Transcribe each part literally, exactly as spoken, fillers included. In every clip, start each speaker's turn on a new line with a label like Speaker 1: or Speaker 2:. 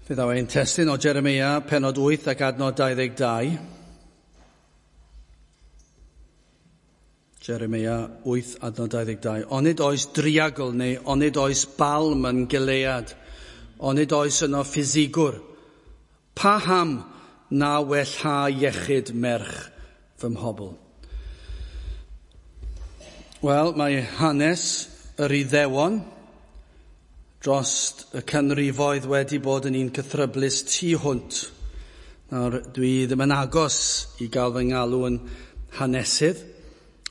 Speaker 1: Fe ddaw ein testun o Jeremia, penod wyth ac adnod dau ddeg dau. Jeremia wyth adnod dau ddeg dau. Onid oes driagl neu onid oes balm yn Gilead, onid oes yno ffisigwr, paham na wellha iechyd merch fy mhobl? Wel, mae hanes yr Iddewon dros y canrifoedd wedi bod yn un cythryblus tu hwnt. Nawr, dwi ddim yn agos i gael fy ngalw yn hanesydd,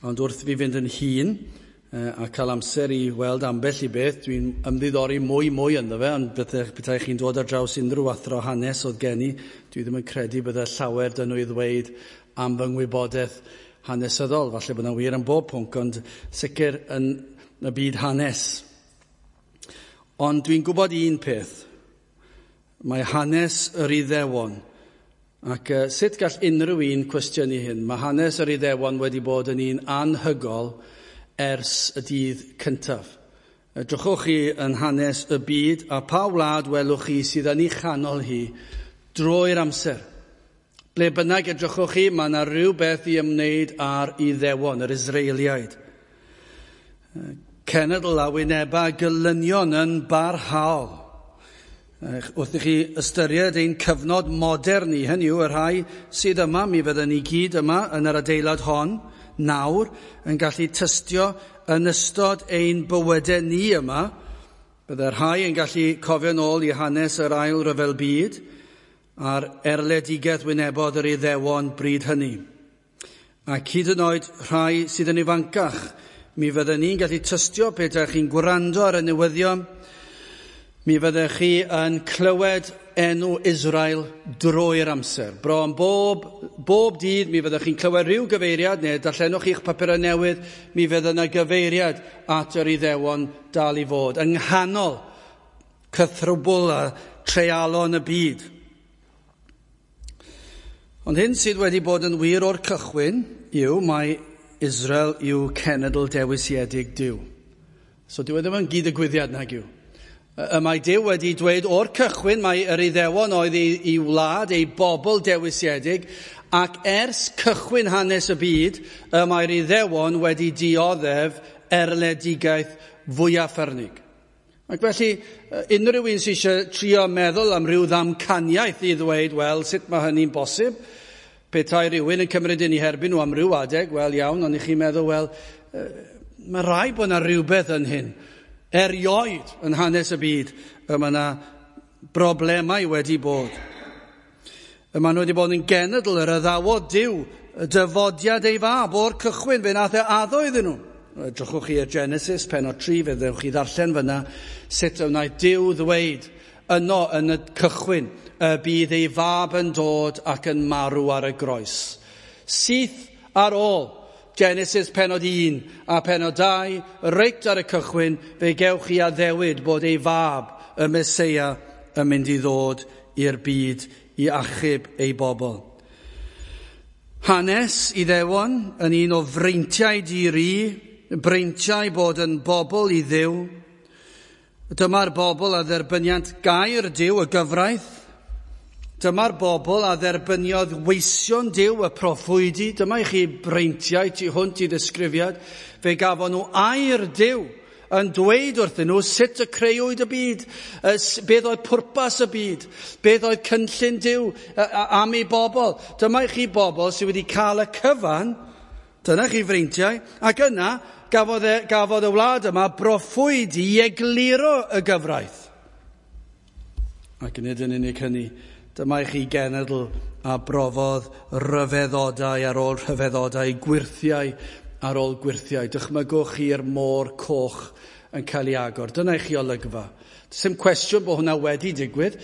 Speaker 1: ond wrth fi fynd yn hŷn a cael amser i weld ambell i beth, dwi'n ymddiddori mwy mwy ynddo fe, ond petai chi'n dod ar draws unrhyw athro hanes oedd gen i, dwi ddim yn credu bydde llawer dyn nhw i ddweud am fy ngwybodaeth hanesyddol. Falle bod yna wir am bob pwnc, ond sicr yn y byd hanes. Ond dwi'n gwybod un peth, mae hanes yr Iddewon, ac uh, sut gall unrhyw un cwestiynu hyn? Mae hanes yr Iddewon wedi bod yn un anhygol ers y dydd cyntaf. Edrychwch chi yn hanes y byd, a pa wlad welwch chi sydd yn ei chanol hi drwy'r amser. Ble bynnag edrychwch chi, mae yna rhywbeth i ymwneud â'r Iddewon, yr Israeliaid. Cenedl a wyneba gelynion yn barhaol. Wrth i chi ystyried ein cyfnod modern ni, hynny yw y rhai sydd yma, mi fydden ni gyd yma yn yr adeilad hon, nawr, yn gallu tystio yn ystod ein bywydau ni yma. Bydde rhai yn gallu cofio nôl i hanes yr ail ryfel byd a'r erledigaeth wynebodd yr Iddewon bryd hynny. Ac hyd yn oed rhai sydd yn ifancach, mi fydden ni'n gallu tystio pe ydych chi'n gwrando ar y newyddion, mi fyddech chi yn clywed enw Israel drwy'r amser. Bron bob, bob dydd mi fyddech chi'n clywed rhyw gyfeiriad, neu darllenwch chi'ch papurau newydd, mi fydd yna gyfeiriad at yr Iddewon dal i fod, yng nghanol cythrwbl a treialon y byd. Ond hyn sydd wedi bod yn wir o'r cychwyn yw mae Israel yw cenedl dewisiedig Duw. So dyw e ddim yn gyd-ddigwyddiad nag yw. Y mae Duw wedi dweud o'r cychwyn mae yr Iddewon oedd ei, ei wlad, ei bobl dewisiedig, ac ers cychwyn hanes y byd, y mae'r Iddewon wedi dioddef erledigaeth fwyaf ffyrnig. Ac felly, unrhyw un sydd eisiau trio meddwl am ryw ddamcaniaeth i ddweud, wel, sut mae hynny'n bosib? Petai rhywun yn cymryd yn ei herbyn nhw am ryw adeg, wel iawn, ond i chi'n meddwl, wel, mae rhaid bod yna rhywbeth yn hyn. Erioed yn hanes y byd, y mae yna broblemau wedi bod. Y mae nhw wedi bod yn genedl yr addawodd Duw, y dyfodiad ei fab o'r cychwyn, fe nath e addo iddyn nhw. Edrychwch chi ar Genesis, penod tri, fe ddewch chi ddarllen fyna, sut y wnaeth Duw ddweud yno yn y cychwyn, y bydd ei fab yn dod ac yn marw ar y groes. Syth ar ôl Genesis penod un a penod dau, reit ar y cychwyn, fe gewch chi addewid bod ei fab, y Meseia, yn mynd i ddod i'r byd i achub ei bobl. Hanes Iddewon yn un o freintiau di-ri, breintiau bod yn bobl i Dduw. Dyma'r bobl a dderbyniant gair Duw, y gyfraith. Dyma'r bobl a dderbyniodd weision Duw, y proffwydi. Dyma i chi breintiau tu hwnt i ddisgrifiad. Fe gafon nhw air Duw yn dweud wrthyn nhw sut y creuwyd y byd, beth oedd pwrpas y byd, beth oedd cynllun Duw am ei bobl. Dyma i chi bobl sydd wedi cael y cyfan. Dyna chi freintiau. Ac yna gafodd e, gafodd y wlad yma broffwydi i egluro y gyfraith. Ac nid yn unig hynny, dyma i chi genedl a brofodd rhyfeddodau ar ôl rhyfeddodau, gwyrthiau ar ôl gwyrthiau. Dychmygwch chi'r môr coch yn cael ei agor. Dyna i chi olygfa. Sim cwestiwn bod hwnna wedi digwydd,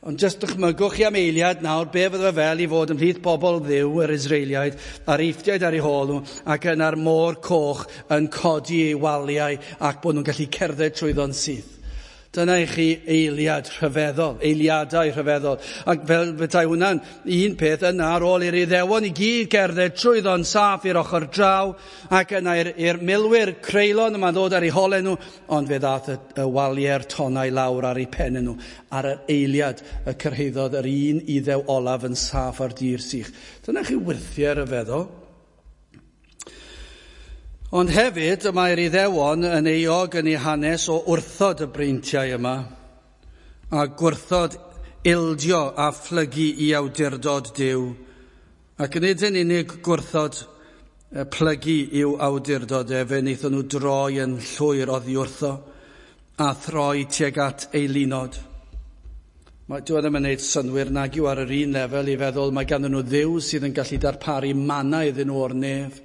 Speaker 1: ond jyst dychmygwch chi am eiliad nawr be fydde fel i fod ymhlith bobl Dduw, yr Israeliaid, a'r Eifftiaid ar eu hôl nhw, ac yna'r môr coch yn codi ei waliau ac bod nhw'n gallu cerdded trwyddo'n syth. Dyna i chi eiliad rhyfeddol, eiliadau rhyfeddol. Ac fel petai hwnna'n un peth yna ar ôl i'r Iddewon i gyd gerdded trwyddo'n saff i'r ochr draw, ac yna i'r milwyr creulon yma'n ddod ar eu holau nhw, ond fe ddath y, y waliau'r tonnau lawr ar eu pennau nhw. Ar yr eiliad y cyrhaeddodd yr un Iddew olaf yn saff ar dir sych. Dyna chi wyrthiau rhyfeddol. Ond hefyd, y mae'r Iddewon yn euog yn eu hanes o wrthod y breintiau yma a gwrthod ildio a phlygu i awdurdod Duw, ac nid yn unig gwrthod plygu i'w awdurdod e, fe wnaethon nhw droi yn llwyr oddi wrtho a throi tuag at eilunod. Mae, dyw e ddim yn gwneud synnwyr nag yw ar yr un lefel i feddwl mae ganddyn nhw Dduw sydd yn gallu darparu manna iddyn nhw o'r nef.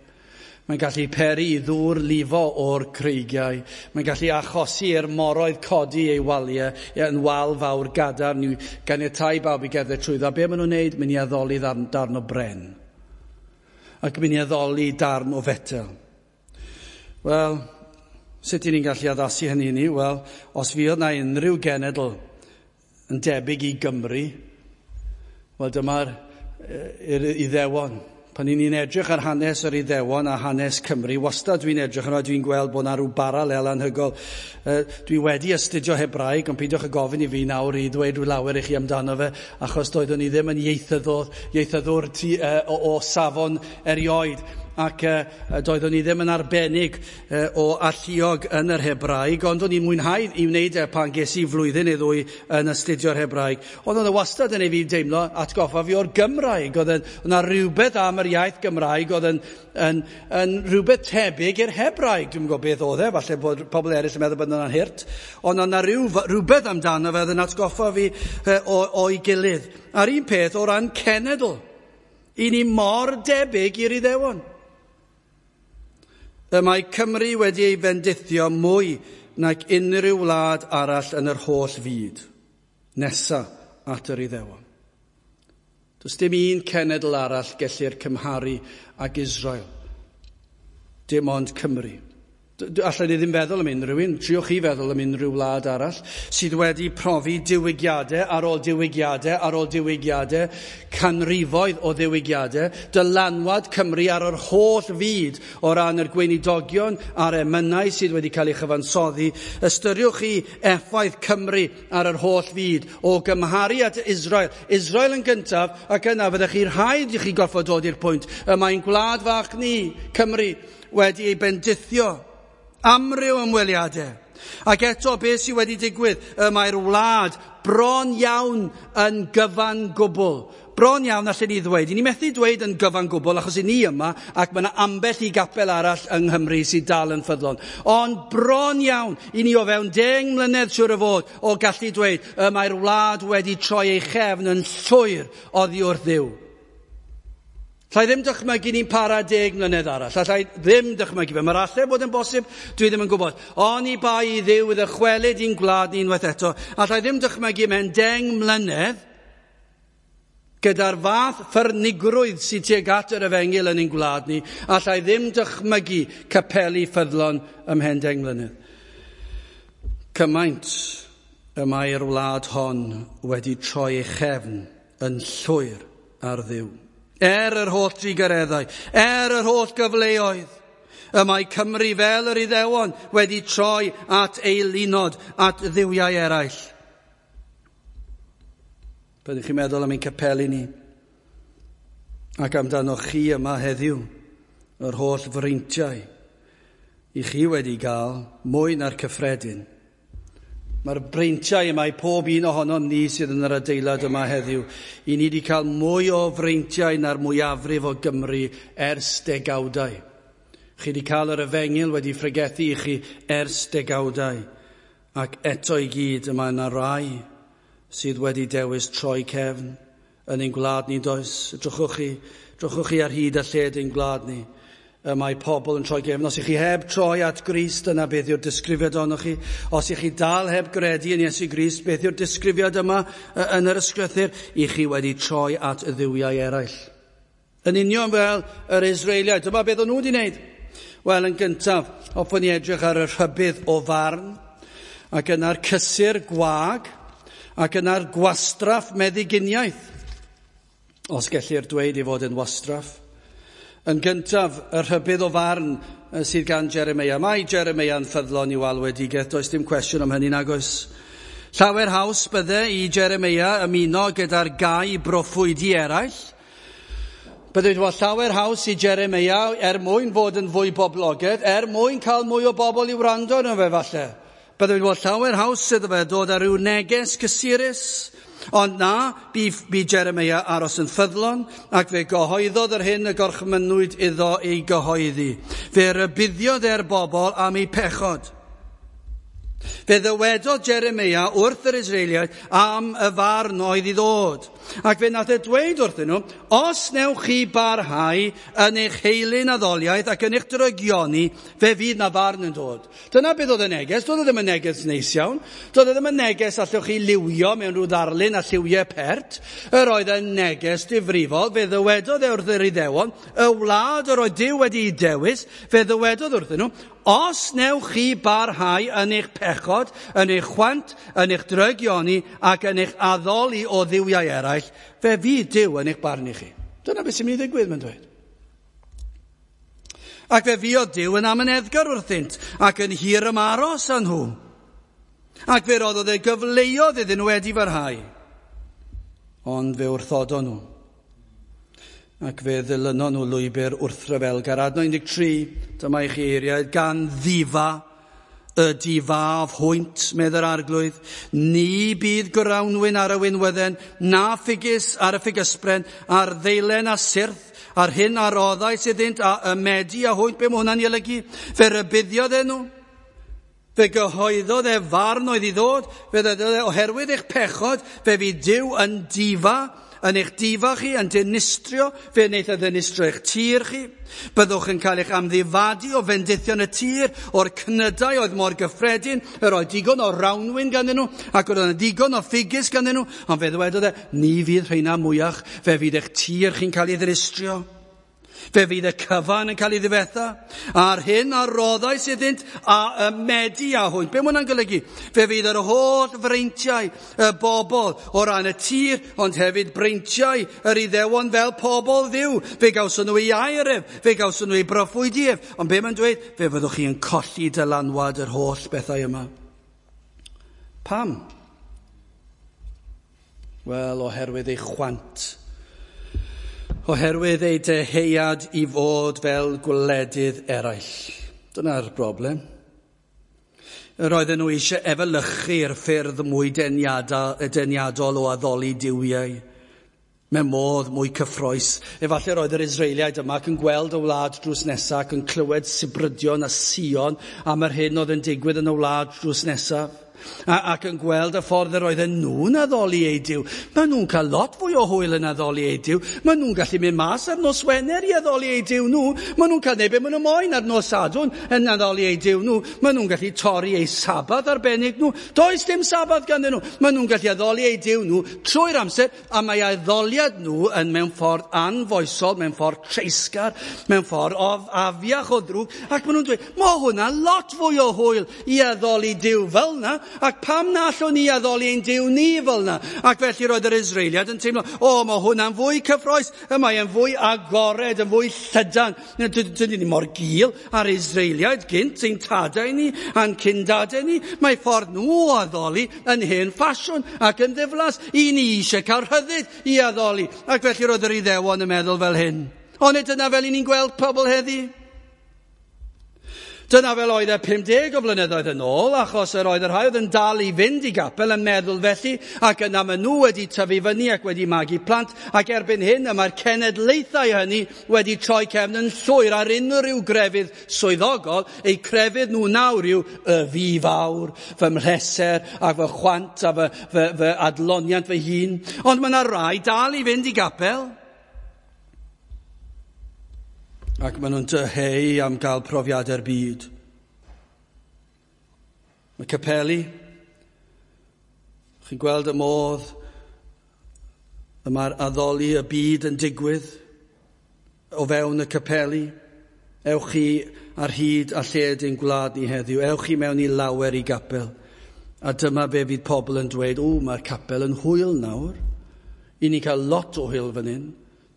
Speaker 1: Mae'n gallu peri i ddŵr lifo o'r creigiau. Mae'n gallu achosi i'r moroedd codi ei waliau yn wal fawr gadarn i ganiatáu bawb i gerdded trwyddo. A be maen nhw'n wneud? Mynd i addoli darn, darn o bren. Ac mynd i addoli darn o fetel. Wel, sut y'n ni'n gallu addasu hynny ni? Wel, os fuodd na unrhyw genedl yn debyg i Gymru, wel dyma'r Iddewon. Pan ni'n edrych ar hanes yr Iddewon a hanes Cymru, wastad dwi'n edrych arno, dwi'n gweld bod yna rhyw baralel anhygoel. Dwi wedi astudio Hebraeg, ond peidiwch â gofyn i fi nawr i ddweud rhyw lawer i chi amdano fe, achos doeddwn i ddim yn ieithyddwr, ieithyddwr ti, uh, o, o safon erioed, ac uh, doeddwn i ddim yn arbennig uh, o alluog yn yr Hebraeg, ond o'n i'n mwynhau i wneud e pan ges i flwyddyn neu ddwy yn astudio'r Hebraeg. Ond oedd e wastad yn ei fi deimlo atgoffa fi o'r Gymraeg. Oedd yna rhywbeth am yr iaith Gymraeg oedd yn, yn, yn rhywbeth tebyg i'r Hebraeg. Dwi'm yn gwybod beth oedd e, falle bod pobl eraill yn meddwl bod yna'n hurt. Ond yna rhyw, rhywbeth amdano fe oedd yn atgoffa fi uh, o'i gilydd. A'r un peth o ran cenedl. I ni mor debyg i'r Iddewon. Y mae Cymru wedi ei fendithio mwy nag unrhyw wlad arall yn yr holl fyd, nesa at yr Iddewon. Does dim un cenedl arall gellir cymharu ag Israel. Dim ond Cymru. Allan ni ddim feddwl am unrhyw un, triwch chi feddwl am unrhyw wlad arall sydd wedi profi diwygiadau ar ôl diwygiadau ar ôl diwygiadau, canrifoedd o ddiwygiadau, dylanwad Cymru ar yr holl fyd o ran yr gweinidogion a'r emynau sydd wedi cael ei chyfansoddi. Ystyriwch chi effaith Cymru ar yr holl fyd o gymharu at Israel. Israel yn gyntaf, ac yna fyddech chi rhaid i chi gorfod dod i'r pwynt y mae'n gwlad fach ni, Cymru, wedi ei bendithio. Amryw ymweliadau. Ac eto beth sydd wedi digwydd, y mae'r wlad bron iawn yn gyfan gwbl. Bron iawn allan ni ddweud. I ni methu dweud yn gyfan gwbl achos i ni yma ac mae yna ambell i gapel arall yng Nghymru sydd dal yn ffyddlon. Ond bron iawn i ni o fewn deng mlynedd siŵr o fod o gallu dweud y mae'r wlad wedi troi ei chefn yn llwyr oddi wrth Dduw. Allai ddim dychmygu ni'n para deg mlynedd arall. Allai ddim dychmygu fe. Mae'r alle bod yn bosib, dwi ddim yn gwybod. Oni bai i Dduw ddychwelyd i'n gwlad ni unwaith eto. Allai ddim dychmygu mewn deng mlynedd gyda'r fath ffyrnigrwydd sydd tuag at yr efengyl yn ein gwlad ni. Allai ddim dychmygu capeli ffyddlon ymhen deng mlynedd. Cymaint y mae'r wlad hon wedi troi ei chefn yn llwyr ar Dduw. Er yr holl drugareddau, er yr holl gyfleoedd, y mae Cymru fel yr Iddewon wedi troi at eilunod, at dduwiau eraill. Byddwch chi'n meddwl am ein capeli ni, ac amdano chi yma heddiw, yr holl freintiau i chi wedi gael mwy na'r cyffredin. Mae'r breintiau yma i pob un ohonom ni sydd yn yr adeilad yma heddiw. I ni wedi cael mwy o freintiau na'r mwyafrif o Gymru ers degawdau. Chi wedi cael yr efengyl wedi phregethu i chi ers degawdau. Ac eto i gyd yma yna rai sydd wedi dewis troi cefn yn ein gwlad ni does. Drychwch chi, drychwch chi ar hyd a lled ein gwlad ni. Y mae pobl yn troi gefn. Os ych chi heb troi at Grist, yna beth yw'r disgrifiad ohonoch chi. Os ych chi dal heb gredu yn Iesu Grist, beth yw'r disgrifiad yma yn yr ysgrythur? I chi wedi troi at y dduwiau eraill. Yn union fel yr Israeliaid. Dyma beth o'n nhw wedi wneud. Wel, yn gyntaf, hoffwn i edrych ar y rhybudd o farn. Ac yna'r cysur gwag, ac yna'r gwastraff meddyginiaeth, os gellir dweud ei fod yn wastraff. Yn gyntaf, y rhybudd o farn sydd gan Jeremeia. Mae Jeremeia'n ffyddlon i'w alwedigaeth, does dim cwestiwn am hynny nag oes. Llawer haws bydde i Jeremeia ymuno gyda'r gau broffwydi eraill. Bydde wedi bod llawer haws i Jeremeia er mwyn fod yn fwy boblogaidd, er mwyn cael mwy o bobl i wrando arno fe falle. Bydde wedi bod llawer haws iddo fe dod ar ryw neges cysurus. Ond na, bu, bu Jeremeia aros yn ffyddlon, ac fe gyhoeddodd yr hyn y gorchmynnwyd iddo ei gyhoeddi. Fe rybuddiodd e'r bobl am eu pechod. Fe ddywedodd Jeremeia wrth yr Israeliaid am y farn oedd i ddod. Ac fe nath e dweud wrthyn nhw, os newch chi barhau yn eich heilyn addoliaeth ac yn eich drygioni, fe fydd na farn yn dod. Dyna beth oedd y neges. Doedd e ddim yn neges neis iawn. Doedd e ddim yn neges allwch chi liwio mewn rhyw ddarlun a lliwiau pert. Yr oedd yn neges difrifol. Fe ddywedodd e wrth yr Iddewon, y wlad yr oedd Duw wedi'i dewis, fe ddywedodd wrthyn nhw, os newch chi barhau yn eich pechod, yn eich chwant, yn eich drygioni ac yn eich addoli o dduwiau eraill, fe fydd Duw yn eich barnu chi. Dyna beth sy'n mynd i ddigwydd, mae'n dweud. Ac fe fuodd Duw yn amyneddgar wrthynt ac yn hir ymaros â nhw. Ac fe roddodd e gyfleoedd iddyn nhw wedi farhau. Ond fe wrthodon nhw. Ac fe ddilynon nhw lwybr wrthryfelgar. Adnod un deg tri, dyma i chi eiriau, gan ddifa y difaf hwynt, medd yr arglwydd. Ni bydd grawnwin ar y winwydden, na ffigys ar y ffigysbren, a'r ddeilen a syrth, a'r hyn a roddais iddynt, a ymedi a hwynt. Be mae hwnna'n ei olygu? Fe rybuddiodd e nhw. Fe gyhoeddodd e farn oedd i ddod. Fe ddywedodd e, oherwydd eich pechod, fe fydd Duw yn difa, yn eich difa chi, yn dinistrio, fe wneith e ddinistrio eich tir chi. Byddwch yn cael eich amddifadu o fendithion y tir, o'r cnydau oedd mor gyffredin, yr oedd digon o rawnwin ganddyn nhw, ac oedd yna digon o ffigys ganddyn nhw, ond fe ddywedodd e, ni fydd rheina mwyach, fe fydd eich tir chi'n cael ei ddinistrio. Fe fydd y cyfan yn cael ei ddifetha, a'r hyn a roddais iddynt a ymedi â hwynt. Be mae hwnna'n golygu? Fe fydd yr holl freintiau y bobl o ran y tir, ond hefyd breintiau yr Iddewon fel pobl Dduw. Fe gawson nhw ei air ef, fe gawson nhw ei broffwydi ef. Ond be mae'n dweud? Fe fyddwch chi yn colli dylanwad yr holl bethau yma. Pam? Wel, oherwydd ei chwant. Oherwydd ei deheuad i fod fel gwledydd eraill. Dyna'r broblem. Yr oedden nhw eisiau efelychu'r ffyrdd mwy deniadol o addoli duwiau. Mewn modd mwy cyffrous. Efallai roedd yr Israeliaid yma ac yn gweld y wlad drws nesaf ac yn clywed sibrydion a sion am yr hyn oedd yn digwydd yn y wlad drws nesaf. A, ac yn gweld y ffordd yr oedden nhw'n addoli eu Duw. Maen nhw'n cael lot fwy o hwyl yn addoli eu Duw. Maen nhw'n gallu mynd mas ar nos Wener i addoli eu Duw nhw. Maen nhw'n cael neud be maen nhw moyn ar nos Sadwrn yn addoli eu Duw nhw. Maen nhw'n gallu torri eu Sabath arbennig nhw. Does dim Sabath ganddyn nhw. Maen nhw'n gallu addoli eu Duw nhw trwy'r amser, a mae addoliad nhw yn mewn ffordd anfoesol, mewn ffordd treisgar, mewn ffordd o afiach o ddrwg. Ac maen nhw'n dweud, mae hwnna lot fwy o hwyl i addoli Duw fel na. Ac pam na allwn ni addoli ein Duw ni fel na? Ac felly roedd yr Israeliad yn teimlo, o, mae hwnna'n fwy cyffrous, y mae e'n fwy agored, yn fwy llydan. Dyn ni mor gul ar Israeliaid gynt, ein tadau ni, a'n cyndadau ni. Mae ffordd nhw o addoli yn hen ffasiwn ac yn ddiflas. I ni eisiau cael rhyddid i addoli. Ac felly roedd yr Iddewon yn meddwl fel hyn. Ond dyna fel i ni'n gweld pobl heddi. Dyna fel oedd e pum deg o flynyddoedd yn ôl, achos yr oedd y rhai oedd yn dal i fynd i gapel yn meddwl felly, ac yna maen nhw wedi tyfu fyny ac wedi magu plant, ac erbyn hyn y mae'r cenedlaethau hynny wedi troi cefn yn llwyr ar unrhyw grefydd swyddogol. Eu crefydd nhw nawr yw y fi fawr, fy mhleser a fy chwant a fy, fy, fy adloniant fy hun. Ond mae yna rai dal i fynd i gapel. Ac maen nhw'n dyheu am gael profiadau'r byd. Mae capeli, chi'n gweld y modd y mae'r addoli y byd yn digwydd o fewn y capeli. Ewch chi ar hyd a lled ein gwlad ni heddiw. Ewch chi mewn i lawer i gapel. A dyma be fydd pobl yn dweud, o, mae'r capel yn hwyl nawr. I ni cael lot o hwyl fan hyn.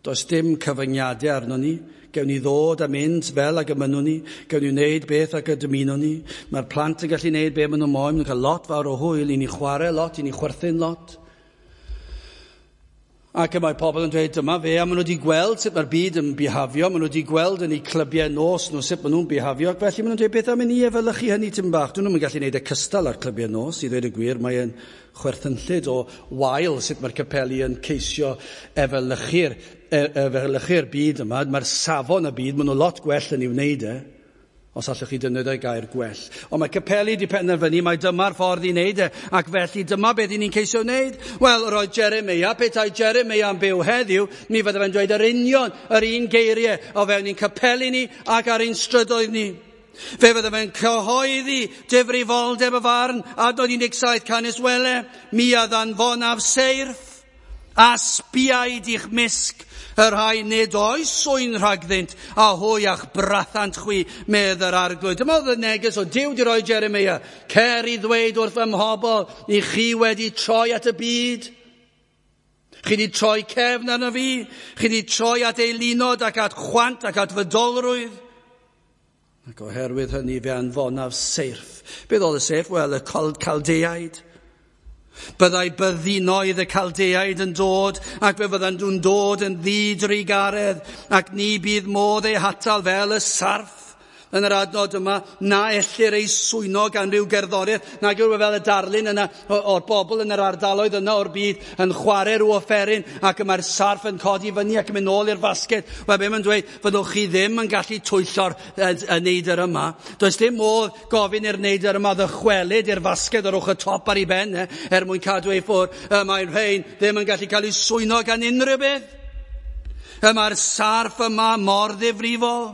Speaker 1: Does dim cyfyngiadau arno ni. Gewn ni ddod a mynd fel ag y mynnwn ni. Gewn ni wneud beth ag y dymunwn ni. Mae'r plant yn gallu wneud beth maen nhw moyn. Maen nhw'n cael lot fawr o hwyl. I ni chwarae lot, i ni chwerthin lot. Ac y mae pobl yn dweud dyma fe, a maen nhw wedi gweld sut mae'r byd yn bihafio, maen nhw wedi gweld yn eu clybiau nos nhw sut maen nhw'n bihafio, ac felly maen nhw'n dweud beth am i ni efelychu hynny tipyn bach. Dyn nhw'n gallu gwneud y cystal ar clybiau nos, i ddweud y gwir, mae'n chwerthynllyd o wael sut mae'r capeli yn ceisio efelychu'r efelychu'r byd yma. Mae'r safon y byd, maen nhw lot gwell yn ei wneud e, os allwch chi defnyddio gair gwell. Ond mae capeli wedi penderfynu mai dyma'r ffordd i wneud e, ac felly dyma beth i ni'n ceisio wneud. Wel, roedd Jeremia, petai Jeremia yn byw heddiw, mi fydde fe'n dweud yr union, yr un geiriau o fewn i'n capeli ni ac ar ein strydoedd ni. Fe fydde fe'n cyhoeddi difrifoldeb y farn, adnod un deg saith, canys wele, mi a ddanfonaf seirff a sbiaid i'ch mysg, y rhai nid oes swyn rhagddynt, a hwy a'ch brathant chwi, medd yr arglwydd. Dyma oedd y neges o Duw di roi Jeremia. Cer i ddweud wrth fy mhobl, i chi wedi troi at y byd. Chi wedi troi cefn arno fi. Chi wedi troi at eilunod ac at chwant ac at fydolrwydd. Ac oherwydd hynny fe anfonaf seirff. Beth oedd y seirff? Wel, y Caldeaid. Byddai byddinoedd y Caldeaid yn dod, ac fe fyddan nhw'n dod yn ddidrugaredd, ac ni bydd modd eu hatal fel y sarff yn yr adnod yma, na ellir ei swyno gan ryw gerddoriaeth, nag yw fel y darlun yna o'r bobl yn yr ardaloedd yna o'r byd yn chwarae rhyw offeryn, ac y mae'r sarff yn codi fyny ac yn mynd nôl i'r fasged. Wel, be mae'n dweud, fyddwch chi ddim yn gallu twyllo'r y, y neidr yma. Does dim modd gofyn i'r neidr yma ddychwelyd i'r fasged o'r ochr top ar ei ben, eh, er mwyn cadw ei ffwrdd. Y mae'r rhain ddim yn gallu cael ei swyno gan unrhyw beth. Y mae'r sarff yma mor ddifrifol.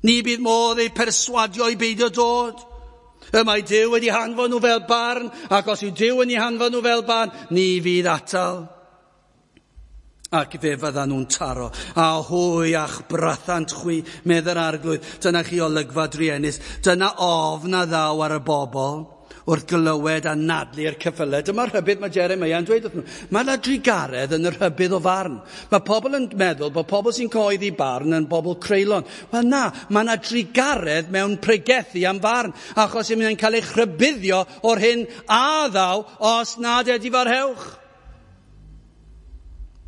Speaker 1: Ni bydd modd eu perswadio i beidio dod. Y mae Duw wedi hanfon nhw fel barn, ac os yw Duw yn eu hanfon nhw fel barn, ni fydd atal. Ac fe fyddan nhw'n taro. A hwy a'ch brathant chwi, medd yr arglwydd. Dyna chi olygfa druenus. Dyna ofn a ddaw ar y bobl wrth glywed a nadlu'r ceffylau. Dyma'r rhybudd mae Jeremia yn dweud wrthyn nhw. Mae yna drugaredd yn y rhybudd o farn. Mae pobl yn meddwl bod pobl sy'n cyhoeddi barn yn bobl creulon. Wel na, mae yna drugaredd mewn pregethu am farn, achos mae'n cael eich rhybuddio o'r hyn a ddaw os nad edifarhewch.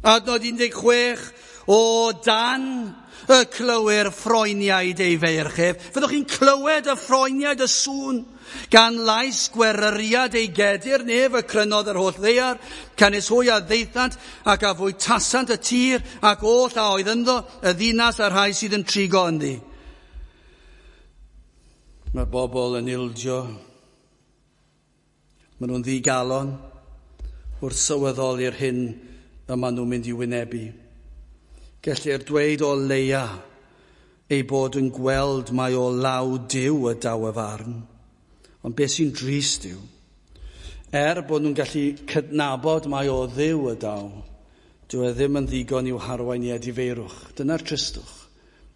Speaker 1: Adnod un deg chwech, o dan y clywir ffroeniaid ei feirch ef. Fyddwch chi'n clywed y ffroeniaid y sŵn, gan lais gweryriad ei gedir nef y crynodd yr holl ddaear, canys hwy a ddaethant ac a fwytasant y tir ac oll a oedd ynddo, y ddinas a'r rhai sydd yn trigo ynddi. Mae'r bobl yn ildio. Maen nhw'n ddigalon wrth sylweddoli'r hyn y maen nhw'n mynd i wynebu. Gellir dweud o leia ei bod yn gweld mai o law Duw y daw y farn. Ond beth sy'n drist yw, er bod nhw'n gallu cydnabod mai o Dduw y daw, dyw e ddim yn ddigon i'w harwain i edifeirwch. Dyna'r tristwch.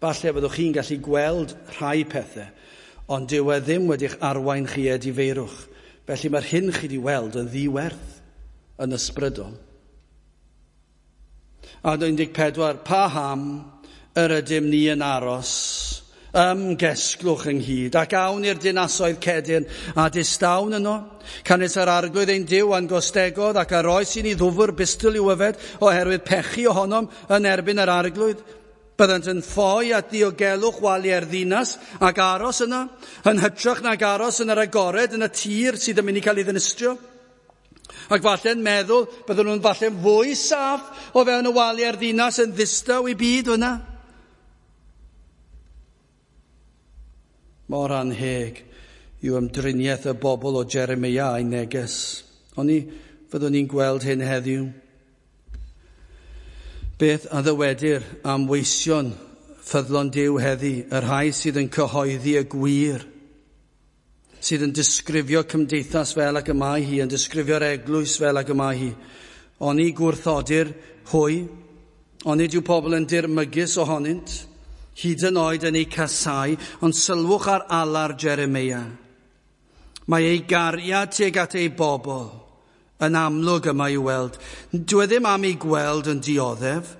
Speaker 1: Falle byddwch chi'n gallu gweld rhai pethau, ond dyw e ddim wedi'ch arwain chi edifeirwch. Felly mae'r hyn chi wedi weld yn ddiwerth yn ysbrydol. Adnod un deg pedwar, paham yr ydym ni yn aros, ymgesglwch ynghyd, ac awn i'r dinasoedd cedyrn a distawn yno. Canys yr arglwydd ein Duw a'n gostegodd ac a roes i ni ddwfr bistl i'w yfed oherwydd pechu ohonom yn erbyn yr arglwydd. Byddant yn ffoi at ddiogelwch waliau'r ddinas ac aros yno, yn hytrach nag aros yn yr agored yn y tir sydd yn mynd i cael ei ddinistrio. Ac falle'n meddwl, byddwn nhw'n falle'n fwy saff o fewn y waliau'r ddinas yn ddistaw i byd yna. Mor anheg yw ymdriniaeth y bobl o Jeremia a'i neges. Oni fyddwn ni'n gweld hyn heddiw. Beth a ddywedir am weision ffyddlon Duw heddi, y rhai sydd yn cyhoeddi y gwir, sydd yn disgrifio cymdeithas fel ag y mae hi, yn disgrifio'r eglwys fel ag y mae hi. Oni gwrthodir hwy, onid yw pobl yn dirmygus ohonynt, hyd yn oed yn eu casau, ond sylwch ar alar Jeremia. Mae ei gariad tuag at ei bobl yn amlwg yma i'w weld. Dyw e ddim am ei gweld yn dioddef.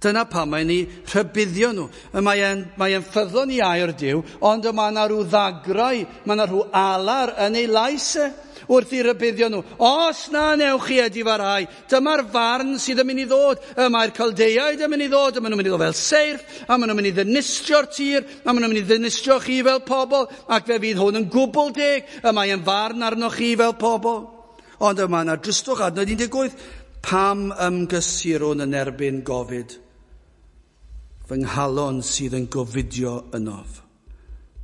Speaker 1: Dyna pam mae'n ei rhybuddio nhw. Mae e'n, mae e'n ffyddlon i air Duw, ond mae yna rhyw ddagrau, mae yna rhyw alar yn ei lais e wrth i rybuddio nhw. Os na newch chi edifarhau, dyma'r farn sydd yn mynd i ddod. Y mae'r Caldeiaid yn mynd i ddod, a maen nhw'n mynd i ddod fel seirff, a maen nhw'n mynd i ddinistrio'r tir, a maen nhw'n mynd i ddinistrio chi fel pobl, ac fe fydd hwn yn gwbl deg, y mae yn farn arnoch chi fel pobl. Ond yma yna dristwch, adnod un deg wyth, pam ymgysurwn yn erbyn gofid? Fy nghalon sydd yn gofidio ynof.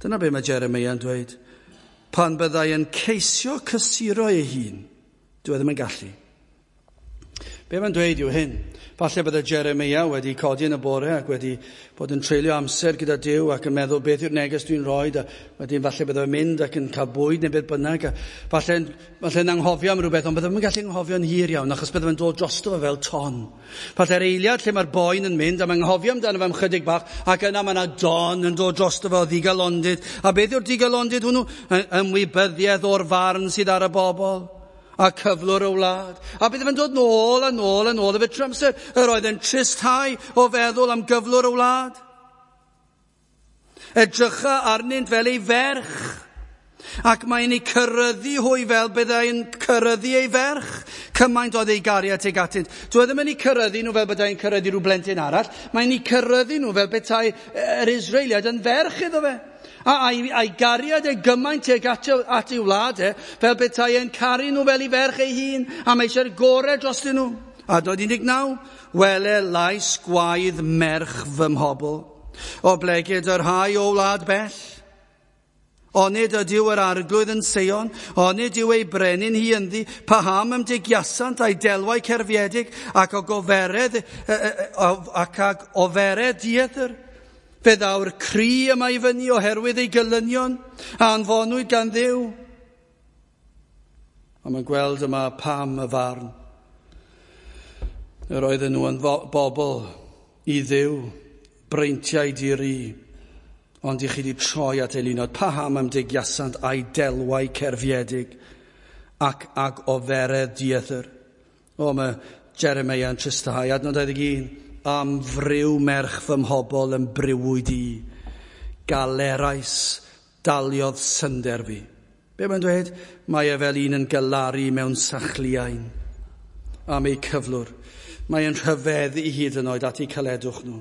Speaker 1: Dyna be mae Jeremia yn dweud. Pan byddai yn ceisio cysuro ei hun, dyw e ddim yn gallu. Be mae'n dweud yw hyn. Falle bydde Jeremia wedi codi yn y bore ac wedi bod yn treulio amser gyda Duw ac yn meddwl beth yw'r neges dwi'n rhoi, a wedyn falle bydde fe'n mynd ac yn cael bwyd neu beth bynnag, a falle'n falle'n anghofio am rhywbeth, ond bydde fe'n gallu anghofio'n hir iawn achos bydde fe'n dod drosto fe fel ton. Falle'r eiliad lle mae'r boen yn mynd a mae'n anghofio amdano fe am chydig bach, ac yna mae yna don yn dod drosto fe o ddigalondid. A beth yw'r digalondid hwnnw? Ymwybyddiaeth o'r farn sydd ar y bobl a cyflwr y wlad. A bydde fe'n dod nôl a nôl a nôl efo trwy amser. Yr oedd e'n tristhau o feddwl am gyflwr y wlad. Edrycha arnynt fel ei ferch, ac mae'n ei cyryddu hwy fel byddai'n cyryddu ei ferch. Cymaint oedd ei gariad tuag atynt. Dyw e ddim yn ei cyryddu nhw fel byddai'n cyryddu rhyw blentyn arall. Mae'n ei cyryddu nhw fel petai yr Israeliaid yn ferch iddo fe. A a'i, a'i gariad e gymaint tuag at, at ei wlad e, fel petai e'n caru nhw fel ei ferch ei hun, a mae eisiau'r gorau drostyn nhw. Adnod un deg naw, wele lais gwaedd merch fy mhobl, oblegid y rhai o wlad bell. Onid ydyw yr arglwydd yn Seion, onid yw ei brenin hi ynddi, paham ymdegiasant a'i delwau cerfiedig ac o goferedd, ac ag oferedd dieithr. Fe ddaw'r cri yma i fyny oherwydd ei gelynion a anfonwyd gan Dduw. A mae'n gweld yma pam y farn. Yr oedden nhw yn bobl i Dduw, breintiau di-ri, ond i chi wedi troi at eilunod. Paham ymdegiasant a'i delwau cerfiedig ac ag oferedd dieithr. O, mae Jeremia yn tristau. Adnod dau ddeg un. Am friw merch fy mhobl yn briwyd i, galerais daliodd synder fi. Be mae'n dweud? Mae e fel un yn galaru mewn sachliain am ei cyflwr. Mae e'n rhyfeddu hyd yn oed at eu caledwch nhw.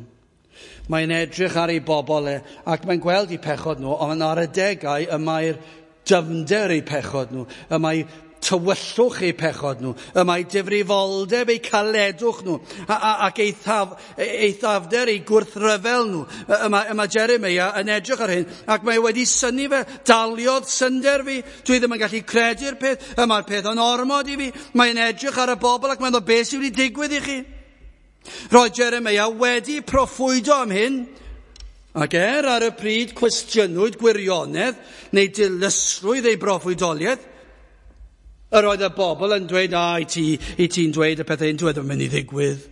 Speaker 1: Mae'n edrych ar ei bobl e, ac mae'n gweld eu pechod nhw, ond ar adegau y mae'r dyfnder eu pechod nhw, y mae tywyllwch eu pechod nhw, y mae difrifoldeb eu caledwch nhw, a, a, ac eithaf, eithafder eu gwrthryfel nhw. Y mae, y mae Jeremia yn edrych ar hyn, ac mae wedi synnu fe, daliodd synder fi, dwi ddim yn gallu credu'r peth, y mae'r peth yn ormod i fi. Mae'n edrych ar y bobl ac mae'n dweud, beth sydd wedi digwydd i chi? Roedd Jeremia wedi proffwydo am hyn, ac er ar y pryd cwestiynwyd gwirionedd neu dilysrwydd ei broffwydoliaeth, yr oedd y bobl yn dweud, a, i ti, i ti'n dweud y pethau hyn, dwi ddim yn mynd i ddigwydd.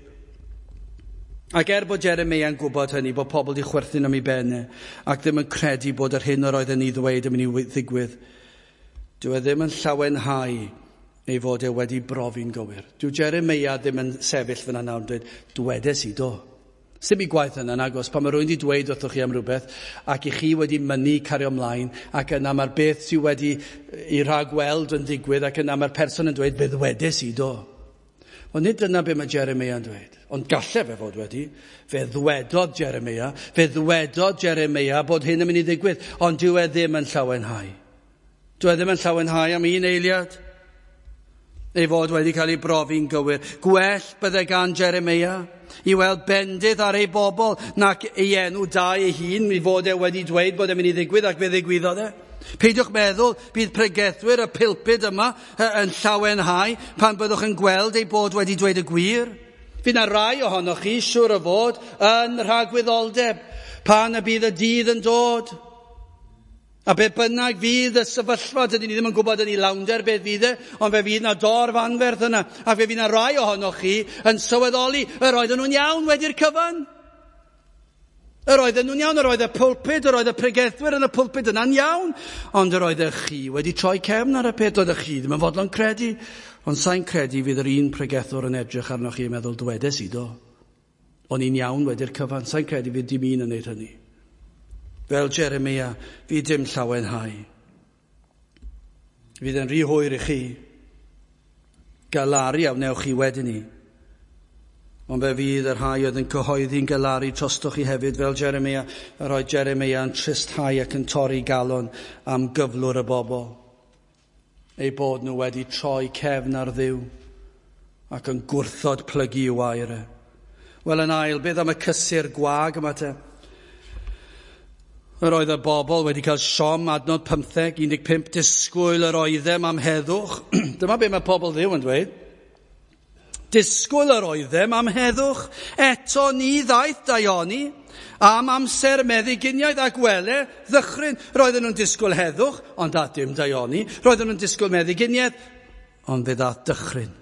Speaker 1: Ac er bod Jeremia yn gwybod hynny, bod pobl wedi chwerthin am ei ben e, ac ddim yn credu bod yr hyn yr oedd yn ei ddweud yn mynd i ddigwydd, dyw e ddim yn llawenhau ei fod e wedi brofi'n gywir. Dyw Jeremia ddim yn sefyll fyna nawr yn dweud, dwedes i do. Sdim i gwaith yna, nagos, pan mae rhywun wedi dweud wrthych chi am rhywbeth, ac i chi wedi mynnu cario ymlaen, ac yna mae'r beth sydd wedi ei rhagweld yn digwydd, ac yna mae'r person yn dweud, fe ddwedes i do. Ond nid dyna be mae Jeremia yn dweud. Ond galle fe fod wedi. Fe ddwedodd Jeremia, fe ddwedodd Jeremia bod hyn yn mynd i ddigwydd, ond dyw e ddim yn llawenhau. Dyw e ddim yn llawenhau am un eiliad. Ei fod wedi cael ei brofi'n gywir. Gwell bydde gan Jeremia i weld bendith ar ei bobl nac ei enw da ei hun, i fod e wedi dweud bod e'n mynd i ddigwydd ac fe ddigwyddodd e. Peidiwch meddwl bydd pregethwyr y pulpud yma yn llawenhau pan byddwch yn gweld ei bod wedi dweud y gwir. Fydd na rai ohonoch chi, siŵr o fod, yn rhagwyddoldeb pan y bydd y dydd yn dod. A be bynnag fydd y sefyllfa, dydyn ni ddim yn gwybod yn ei lawnder beth fydd e, ond fe fydd na dorf anferth yna, a fe fydd na rai ohonoch chi yn sylweddoli yr oedden nhw'n iawn wedi'r cyfan. Yr oedden nhw'n iawn, yr oedd y pulpud, yr oedd y pregethwyr yn y pulpud yna'n iawn, ond yr oeddech chi wedi troi cefn ar y peth, oeddech chi ddim yn fodlon credu, ond sa'n credu fydd yr un pregethwr yn edrych arnoch chi yn meddwl dwedes i do. O'n i'n iawn wedi'r cyfan, sa'n credu fydd dim un yn neud hynny. Fel Jeremia, fydd dim llawenhau. Fydd yn rhy hwyr i chi. Galaru a wnewch chi wedyn ni. Ond fe fydd y rhai oedd yn cyhoeddi'n galaru trostoch chi hefyd fel Jeremia, yr oedd Jeremia yn tristhau ac yn torri galon am gyflwr y bobl. Eu bod nhw wedi troi cefn ar Dduw ac yn gwrthod plygu i'w air e. Wel yn ail, beth am y cysur gwag yma te? Yr oedd y bobl wedi cael siom adnod pymtheg, un deg pump, disgwyl yr oeddem am heddwch. Dyma be mae pobl Dduw yn dweud. Disgwyl yr oeddem am heddwch, eto ni ddaeth daioni, am amser meddyginiaeth ac wele ddychryn. Roedden nhw'n disgwyl heddwch, ond a dim daioni. Roedden nhw'n disgwyl meddyginiaeth, ond fe ddaeth dychryn.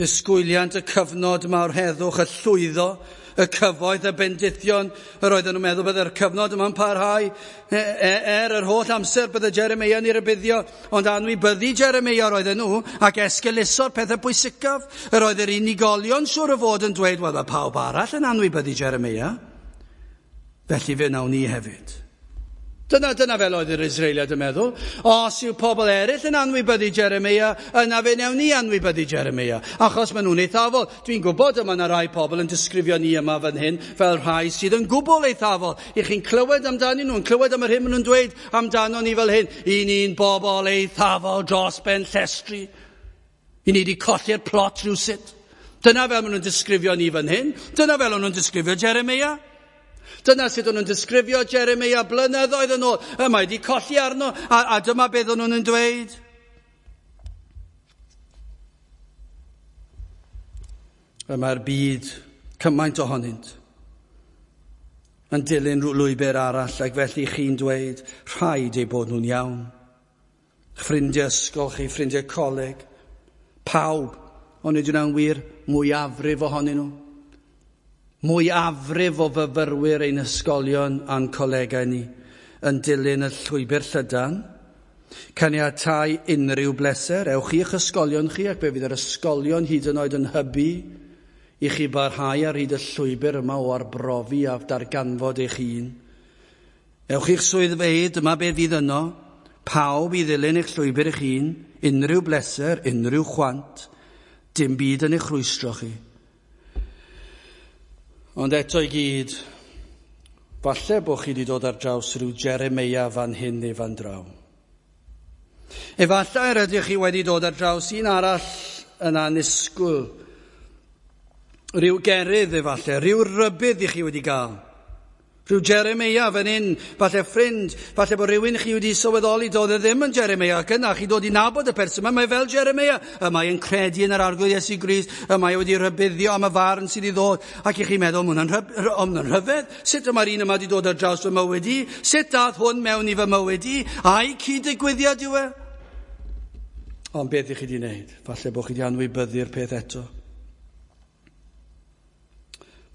Speaker 1: Disgwyliant y cyfnod mawr heddwch, y llwyddo, y cyfoeth, y bendithion, yr oedden nhw'n meddwl byddai'r cyfnod yma'n parhau, er yr holl amser bydde Jeremia yn ei rybuddio, ond anwybyddu Jeremia yr oedden nhw, ac esgeuluso'r pethau pwysicaf. Yr oedd yr unigolion siŵr o fod yn dweud, wel, mae pawb arall yn anwybyddu Jeremia, felly fe wnawn ni hefyd. Dyna, dyna fel oedd yr Israeliad yn meddwl. Os yw pobl eraill yn anwybyddu Jeremia, yna fe wnawn ni anwybyddu Jeremia, achos maen nhw'n eithafol. Dwi'n gwybod yma yna rai pobl yn disgrifio ni yma fan hyn fel rhai sydd yn gwbl eithafol. I chi'n clywed amdanyn nhw, yn clywed am yr hyn maen nhw'n dweud amdano ni fel hyn. I ni'n bobl eithafol dros ben llestri. I ni wedi colli'r plot rhywsut. Dyna fel maen nhw'n disgrifio ni fan hyn. Dyna fel maen nhw'n disgrifio Jeremia. Dyna sut o'n nhw'n disgrifio Jeremia blynyddoedd yn ôl. Y mae wedi colli arno, a, a dyma beth o'n nhw'n dweud. Y mae'r byd, cymaint ohonynt, yn dilyn lwybr arall, ac felly chi'n dweud, rhaid eu bod nhw'n iawn. Ffrindiau ysgol chi, ffrindiau coleg, pawb, ond nid yw'n wir, mwyafrif ohonyn nhw. Mwyafrif o fyfyrwyr ein ysgolion a'n colegau ni yn dilyn y llwybr llydan, caniatáu unrhyw bleser, ewch i'ch ysgolion chi ac fe fydd yr ysgolion hyd yn oed yn hybu i chi barhau ar hyd y llwybr yma o arbrofi a darganfod eich hun. Ewch i'ch swyddfeydd, dyma be fydd yno, pawb i ddilyn eich llwybr eich hun, unrhyw bleser, unrhyw chwant, dim byd yn eich rhwystro chi. Ond eto i gyd, falle bod chi wedi dod ar draws rhyw Jeremia fan hyn neu fan draw. Efallai yr ydych chi wedi dod ar draws un arall yn annisgwyl. Rhyw gerydd efallai, rhyw rybudd i chi wedi gael. Rhyw Jeremia fan hyn, falle ffrind, falle bod rhywun chi wedi sylweddoli doedd e ddim yn Jeremia, ac yna chi dod i nabod y person yma, mae fel Jeremia, y mae yn credu yn yr Arglwydd Iesu Grist, y mae wedi rhybuddio am y farn sydd i ddod, ac i chi'n meddwl, ma' hwnna'n rhyfedd, sut yma'r un yma wedi dod ar draws fy mywyd i, sut dath hwn mewn i fy mywyd i, a'i cyd-ddigwyddiad yw e? Ond beth i chi wedi wneud? Falle bod chi wedi anwybyddu'r peth eto.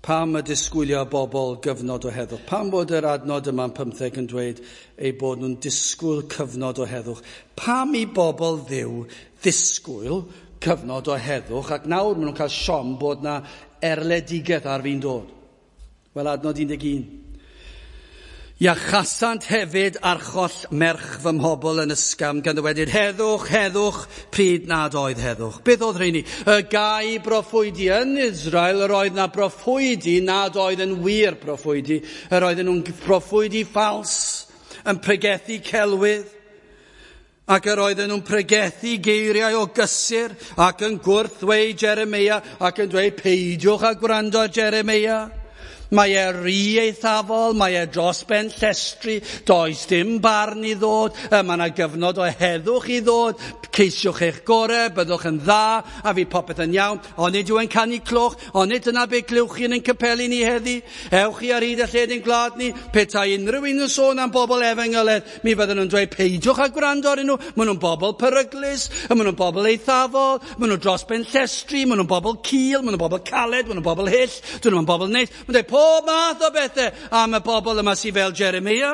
Speaker 1: Pam y disgwylio bobl gyfnod o heddwch? Pam bod yr adnod yma'n pymtheg yn dweud eu bod nhw'n disgwyl cyfnod o heddwch? Pam i bobl Dduw ddisgwyl cyfnod o heddwch ac nawr maen nhw'n cael siom bod na erledigaeth ar fin dod? Wel, adnod un deg un. Iachasant hefyd archoll merch fy mhobl yn ysgafn gan ddywedyd heddwch, heddwch, pryd nad oedd heddwch. Beth oedd rheini? Y gau broffwydi yn Israel, yr oedd na broffwydi nad oedd yn wir broffwydi. Yr oedden nhw'n broffwydi ffals, yn pregethu celwydd. Ac yr oedden nhw'n pregethu geiriau o gysur ac yn gwrthweud Jeremia ac yn dweud peidiwch â gwrando ar Jeremia. Mae e rhy eithafol, mae e dros ben llestri, does dim barn i ddod, mae yna gyfnod o heddwch i ddod, ceisiwch eich gorau, byddwch yn dda, a fydd popeth yn iawn, ond nid yw e'n canu cloch, ond nid dyna be glywch chi yn ein capeli ni heddi, ewch chi ar hyd y lled ein gwlad ni, petai unrhyw un yn sôn am bobl efengyledd, mi fydden nhw'n dweud peidiwch â gwrando arnyn nhw, maen nhw'n bobl peryglus, maen nhw'n bobl eithafol, maen nhw dros ben llestri, maen nhw'n bobl cul, maen nhw'n bobl caled, maen nhw'n bobl hyll, dyn nhw'n bobl neis, maen nhw'n dweud pob math o bethau am y bobl yma sydd fel Jeremia.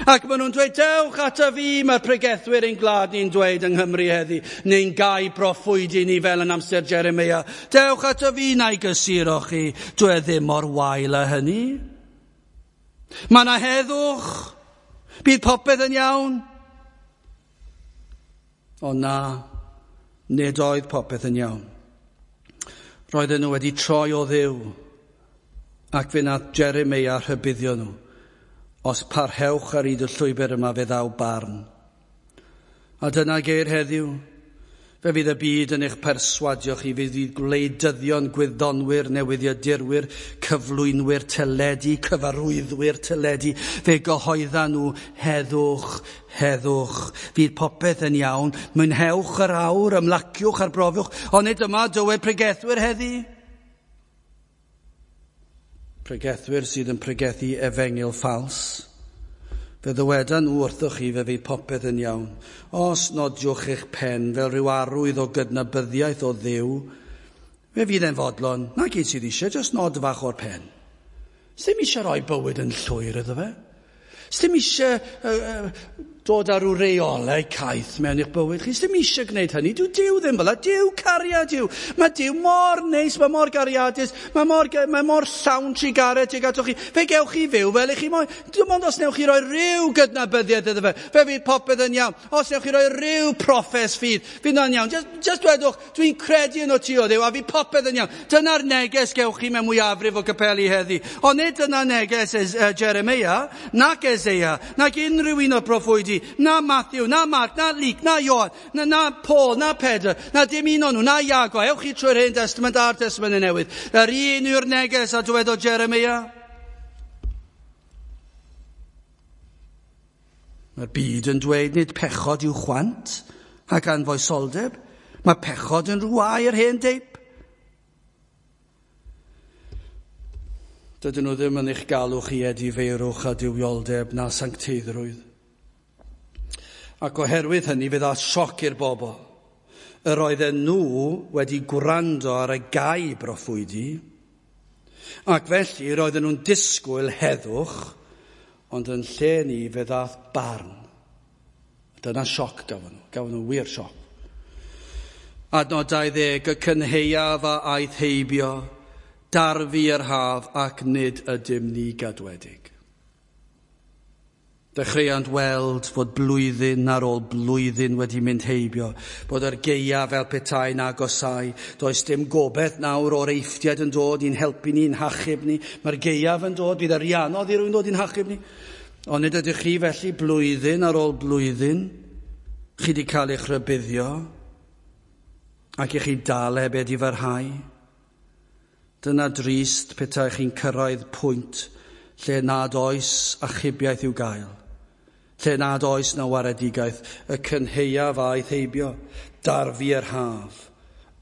Speaker 1: Ac maen nhw'n dweud, dewch ata fi, mae'r pregethwyr ein gwlad ni'n dweud yng Nghymru heddi, neu'n gau broffwydi ni fel yn amser Jeremia. Dewch ata fi, na i gysuro chi, dwi e ddim mor wael â hynny. Mae yna heddwch, bydd popeth yn iawn. Ond na, nid oedd popeth yn iawn. Roedden nhw wedi troi o Dduw, ac fe nath Jeremia rhybuddio nhw. Os parhewch ar hyd y llwybr yma, fe ddaw barn. A dyna geir heddiw. Fe fydd y byd yn eich perswadio chi, fe fydd gwleidyddion, gwyddonwyr, newyddiadurwyr, cyflwynwyr teledu, cyfarwyddwyr teledu, fe gyhoedda nhw heddwch, heddwch. Fydd popeth yn iawn, mwynhewch yr awr, ymlaciwch, arbrofwch, ond nid yma dywed pregethwyr heddi. Pregethwyr sydd yn pregethu efengyl ffals. Fe ddywedan nhw wrthoch chi fe fydd popeth yn iawn. Os nodiwch eich pen fel rhyw arwydd o gydnabyddiaeth o Dduw, fe fydd e'n fodlon. Na gyd sydd eisiau, jyst nod fach o'r pen. Sdim eisiau rhoi bywyd yn llwyr iddo fe. Sdim eisiau uh, uh, dod â rhyw reolau caeth mewn i'ch bywyd chi. Sdim eisiau gwneud hynny. Dyw Duw ddim fel 'na. Duw cariad yw. Mae Duw mor neis, mae mor gariadus, mae mor, mae mor llawn trugaredd tuag atoch chi. Fe gewch chi fyw fel ych chi moyn. Dim ond os newch chi roi rhyw gydnabyddiaeth iddo fe, fe fydd popeth yn iawn. Os newch chi roi rhyw proffes ffydd, fydd o'n iawn. Just, just dwedwch, dwi'n credu yn o ti o Dduw, a fydd popeth yn iawn. Dyna'r neges gewch chi mewn mwyafrif o capeli heddi. Ond nid dyna neges Jeremia, nac Eseia, nac unrhyw un o'r proffwydi, na Matthew, na Mark, na Luke, na Ioan, na, na Paul, na Pedr, na dim un o'n nhw, na Iago. Ewch chi trwy'r Hen Testament a'r Testament y Newydd. Yr un yw'r neges a dywedodd Jeremia. Mae'r byd yn dweud nid pechod yw chwant ac anfoesoldeb. Mae pechod yn rhyw air hen deip. Dydyn nhw ddim yn eich galw chi edifeirwch a duwioldeb na sancteiddrwydd. Ac oherwydd hynny fe ddaeth sioc i'r bobl. Yr oedden nhw wedi gwrando ar y gau broffwydi, ac felly roedden nhw'n disgwyl heddwch, ond yn lle ni fe ddaeth barn. Dyna sioc gafon nhw, gafon nhw wir sioc. Adnod dau ddeg, y cynhaeaf a aeth heibio, darfu yr haf ac nid ydym ni gadwedig. Dechreuant weld fod blwyddyn ar ôl blwyddyn wedi mynd heibio, bod yr gaeaf fel petai'n agosau. Does dim gobaith nawr o'r Eifftiaid yn dod i'n helpu ni'n hachub ni. Mae'r gaeaf yn dod, bydd yr anodd i rywun dod i'n hachub ni. Ond nid ydych chi felly blwyddyn ar ôl blwyddyn, chi wedi cael eich rhybuddio, ac i chi dal heb edifarhau. Dyna drist petai chi'n cyrraedd pwynt lle nad oes achubiaeth i'w gael, lle nad oes na waredigaeth, y cynhaeaf aeth heibio, darfu yr haf,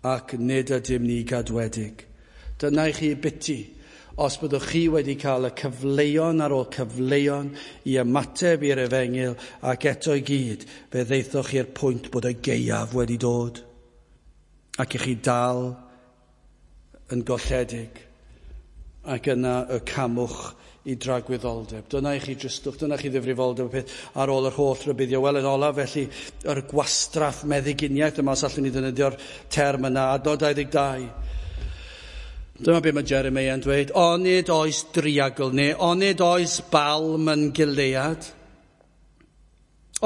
Speaker 1: ac nid ydym ni gadwedig. Dyna i chi biti, os byddwch chi wedi cael y cyfleon ar ôl cyfleon i ymateb i'r efengyl, ac eto i gyd, fe ddeithoch chi'r pwynt bod y gaeaf wedi dod, ac i chi dal yn golledig, ac yna y camwch i dragwyddoldeb. Dyna i chi dristwch, dyna chi ddifrifoldeb y peth ar ôl yr holl rybuddio. Wel, yn olaf, felly, yr gwastraff meddyginiaeth yma, os allwn ni ddefnyddio'r term yna, adnod dau ddeg dau. Dyma beth mae Jeremia yn dweud, onid oes driagl neu onid oes balm yn Gilead?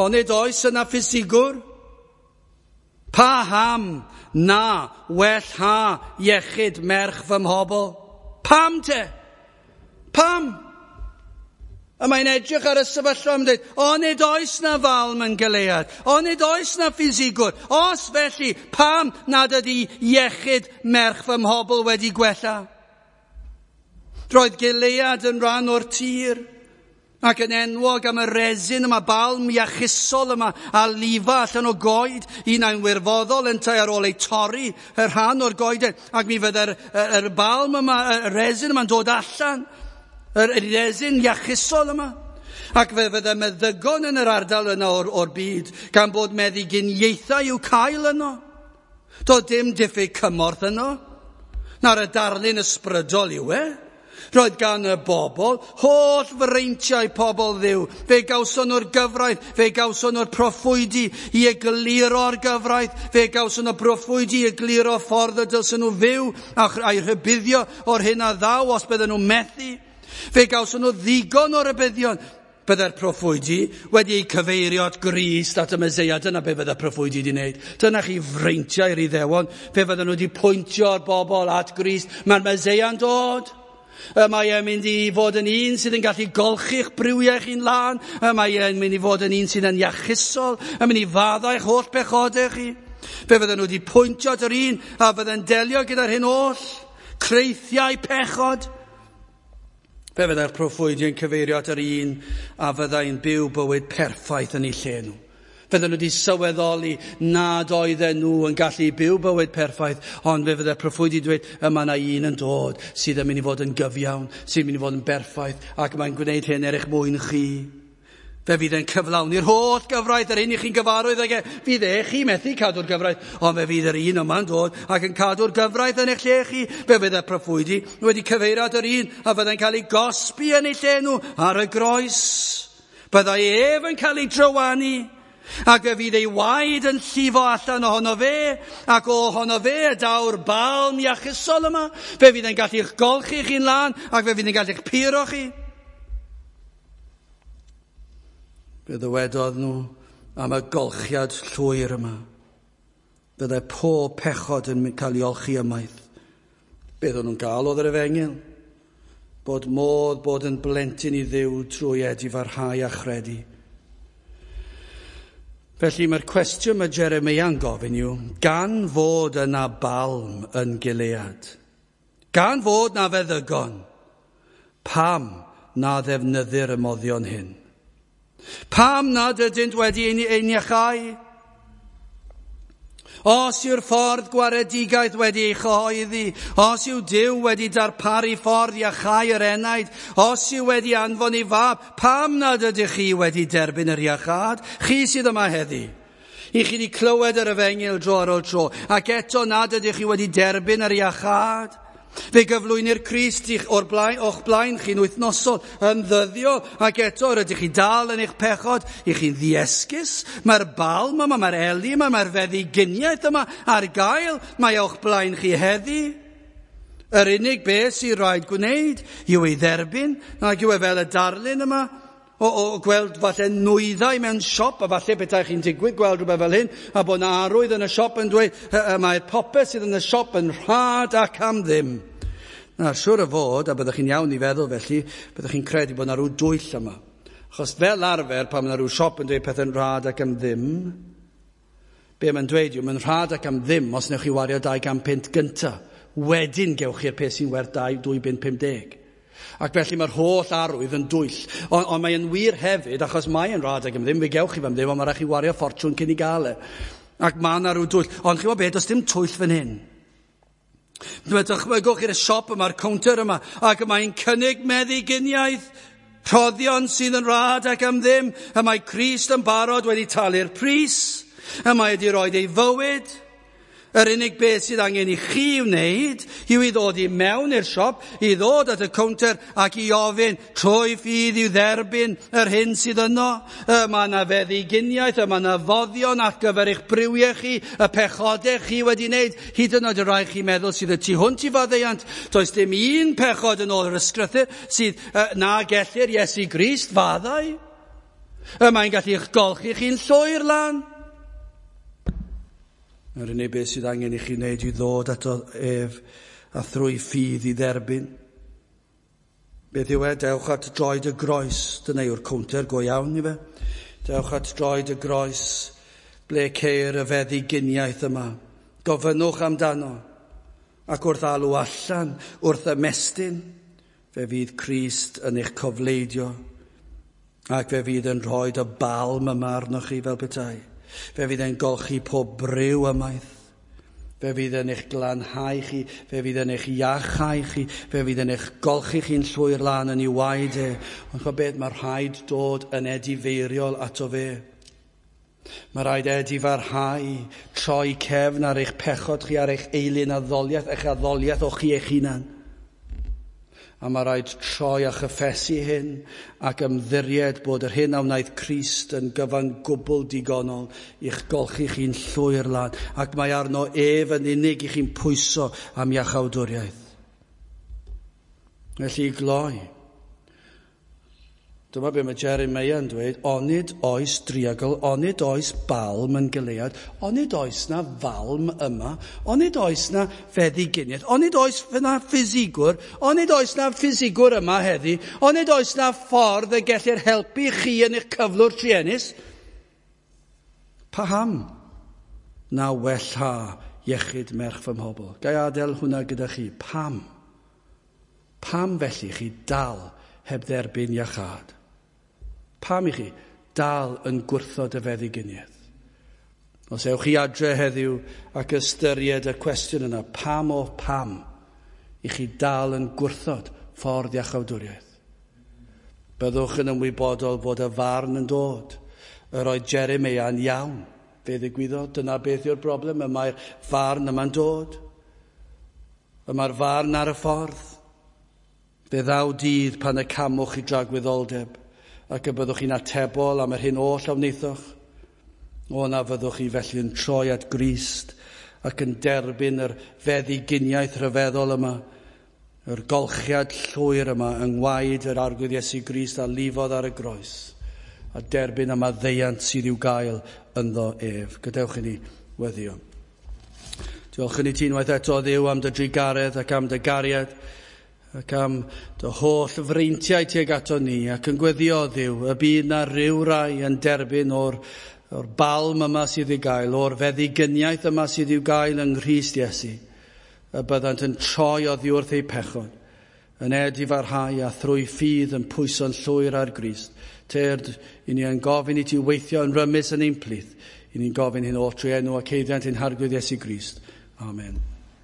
Speaker 1: Onid oes yna ffisigwr? Pa ham na well ha iechyd merch fy mhobl? Pam te? Pam? A mae'n edrych ar y sefyllfa am dweud, onid oes na falm yn Gilead, onid oes na ffisigwr, os felly, pam nad ydy iechyd merch fy mhobl wedi gwella? Roedd Gilead yn rhan o'r tir, ac yn enwog am y resin yma, balm iachusol yma, a lifa allan o goed, un ai'n wirfoddol yntau ar ôl ei torri y rhan o'r goeden, ac mi fydde'r yr, yr balm yma, y resin yma'n dod allan, yr resin iachusol yma. Ac fe fydde meddygon yn yr ardal yna o'r, o'r byd, gan bod meddyginiaethau i'w cael yno. Doedd dim diffyg cymorth yno. Na'r y darlun ysbrydol yw e. Roedd gan y bobl holl freintiau pobl Dduw. Fe gawson nhw'r gyfraith, fe gawson nhw'r proffwydi i egluro'r gyfraith, fe gawson nhw'r proffwydi i egluro ffordd y dylsen nhw fyw a'i rhybuddio o'r hyn a ddaw os bydden nhw'n methu. Fe gawson nhw ddigon o rybuddion. Byddai'r proffwydi wedi eu cyfeirio at Grist, at y Meseia. Dyna be byddai'r proffwydi wedi wneud. Dyna chi freintiau'r Iddewon. Fe fydden nhw wedi pwyntio'r bobl at Grist. Mae'r Meseia'n dod. Mae e'n mynd i fod yn un sydd yn gallu golchi'ch briwiau chi'n lân. Mae e'n mynd i fod yn un sydd yn iachusol. Yn mynd i faddau'ch holl bechodau chi. Fe fydden nhw wedi pwyntio at yr un a fydden delio gyda'r hyn oll. Creithiau pechod. Fe fyddai'r proffwydi yn cyfeirio at yr un a fyddai'n byw bywyd perffaith yn eu lle nhw. Fydden nhw wedi sylweddoli nad oedden nhw yn gallu byw bywyd perffaith, ond fe fyddai'r proffwydi dweud, yma yna un yn dod sydd yn mynd i fod yn gyfiawn, sydd yn mynd i fod yn berffaith, ac mae'n gwneud hyn er eich mwyn chi. Fe fydd e'n cyflawni'r holl gyfraith, yr un i chi'n gyfarwydd ag e. Fydd e chi methu cadw'r gyfraith, ond fe fydd yr un yma'n dod ac yn cadw'r gyfraith yn eich lle chi. Fe fydd y proffwydi wedi cyfeirio at yr un a fyddai'n cael ei gosbi yn eu lle nhw ar y groes. Byddai ef yn cael ei drywanu, ac fe fydd ei waed yn llifo allan ohono fe, ac ohono fe y daw'r balm iachusol yma. Fe fydd e'n gallu'ch golchi chi'n lân, ac fe fydd e'n gallu'ch puro chi. Fe ddywedodd nhw am y golchiad llwyr yma. Byddai pob pechod yn cael ei olchi ymaith. Beth o'n nhw'n gael oedd yr efengyl? Bod modd bod yn blentyn i Dduw trwy edifarhau a chredu. Felly mae'r cwestiwn mae Jeremeia'n gofyn yw, gan fod yna balm yn Gilead, gan fod na feddygon, pam na ddefnyddir y moddion hyn? Pam nad ydynt wedi ein iachau? Os yw'r ffordd gwaredigaeth wedi ei chyhoeddi, os yw Duw wedi darparu ffordd iachau yr enaid, os yw wedi anfon ei fab, pam nad ydych chi wedi derbyn yr iachâd? Chi sydd yma heddi. I chi wedi clywed yr efengyl dro ar ôl tro, ac eto nad ydych chi wedi derbyn yr iachâd. Fe gyflwynir Crist i'ch o'r blaen, o'ch blaen chi'n wythnosol yn ddyddiol, ac eto rydych chi dal yn eich pechod, i chi'n ddiesgus. Mae'r balm yma, mae'r eli yma, mae'r feddyginiaeth yma ar gael, mae o'ch blaen chi heddi. Yr unig beth sy'n rhaid gwneud yw ei dderbyn, ac yw e fel y darlun yma, o, o gweld falle nwyddau mewn siop, a falle petai chi'n digwydd gweld rhywbeth fel hyn, a bod yna arwydd yn y siop yn dweud, mae'r popeth sydd yn y siop yn rhad ac am ddim. Na, siŵr o fod, a byddwch chi'n iawn i feddwl felly, byddwch chi'n credu bod yna rhyw dwyll yma. Achos fel arfer, pan mae yna rhyw siop yn dweud pethau'n rhad ac am ddim, be mae'n dweud yw, mae'n rhad ac am ddim os newch chi wario dau gan punt gynta. Wedyn gewch chi'r peth sy'n werth dwy bunt pum deg. Ac felly mae'r holl arwydd yn dwyll. Ond on mae'n wir hefyd, achos mae'n rhad ac am ddim, fe gewch chi fam ddim, ond mae rhaid chi wario ffortiwn cyn i gael e. Ac mae yna rhyw dwyll. Ond chi'n gwybod beth, does dim twyll fan hyn. Dychmygwch i'r siop yma'r cownter yma, ac mae'n cynnig meddyginiaeth, rhoddion sydd yn rhad ac am ddim, y mae Crist yn barod wedi talu'r pris, y mae wedi rhoi ei fywyd. Yr unig beth sydd angen i chi wneud yw i ddod i mewn i'r siop, i ddod at y cownter ac i ofyn trwy ffydd i'w dderbyn yr hyn sydd yno. Y mae yna feddyginiaeth, y mae yna foddion ar gyfer eich briwiau chi, y pechodau chi wedi wneud, hyd yn oed y rhai chi meddwl sydd y tu hwnt i faddeuant. Does dim un pechod yn ôl yr ysgrythur sydd na gellir Iesu Grist faddau. Y mae'n gallu eich golchi chi'n llwyr lan. Yr unig beth sydd angen i chi wneud yw ddod ato ef a thrwy ffydd i dderbyn. Beth yw e? Dewch at droed y groes. Dyna yw'r cownter go iawn i fe. Dewch at droed y groes ble ceir y feddyginiaeth yma. Gofynnwch amdano. Ac wrth alw allan, wrth ymestyn, fe fydd Crist yn eich cofleidio. Ac fe fydd yn rhoi y balm yma arnoch chi fel petai. Fe fydd e'n golchi pob briw ymaith. Fe fydd yn eich glanhau chi, fe fydd yn eich iachau chi, fe fydd yn eich golchi chi'n llwyr lan yn ei waed e. Ond chwa beth, mae rhaid dod yn edifeiriol ato fe. Mae rhaid edifarhau, troi cefn ar eich pechod chi, ar eich eilun addoliaeth, eich addoliaeth o chi eich hunan. A mae rhaid troi a chyffesu hyn ac ymddiried bod yr hyn a wnaeth Crist yn gyfan gwbl digonol i'ch golchi chi'n llwyr lan. Ac mae arno ef yn unig i chi'n pwyso am iachawdwriaeth. Felly i gloi, dyma be mae Jeremiah yn dweud, onid oes driagl, onid oes balm yn Gilead, onid oes na falm yma, onid oes na feddyginiaeth, onid oes na ffisigwr, onid oes na ffisigwr yma heddi, onid oes na ffordd y gellir helpu chi yn eich cyflwr truenus? Paham na wella iechyd merch fy mhobl? Ga i adael hwnna gyda chi. Pam? Pam felly chi dal heb dderbyn iachâd? Pam i chi dal yn gwrthod y feddyginiaeth? Os ewch chi adre heddiw ac ystyried y cwestiwn yna, pam o pam i chi dal yn gwrthod ffordd iachawdwriaeth? Byddwch yn ymwybodol fod y farn yn dod. Yr oedd Jeremiah yn iawn. Fe ddigwyddodd, dyna beth yw'r broblem, y mae'r farn yma'n dod. Y mae'r farn ar y ffordd. Fe ddaw dydd pan y camwch i dragwyddoldeb ac y byddwch chi'n atebol am yr hyn oll a wnaethoch. O na fyddwch chi felly yn troi at Grist ac yn derbyn yr feddyginiaeth rhyfeddol yma, yr golchiad llwyr yma yng ngwaed yr Arglwydd Iesu Grist a lifodd ar y groes, a derbyn y maddeuant sydd i'w gael ynddo ef. Gadewch i ni weddio. Diolch i ti unwaith eto, Dduw, am dy drugaredd ac am dy gariad, ac am dy holl freintiau tuag ato ni, ac yn gweddio, Dduw, y bydd na ryw rai yn derbyn o'r, o'r balm yma sydd i'w gael, o'r feddigyniaeth yma sydd i'w gael yng Nghrist Iesu, y byddant yn troi oddi wrth eu pechod, yn edifarhau a thrwy ffydd yn pwyso'n llwyr ar Grist. Tyrd, i ni yn gofyn i ti weithio yn rymus yn ein plith, i ni'n gofyn hyn oll trwy enw ac haeddiant ein Harglwydd Iesu Grist. Amen.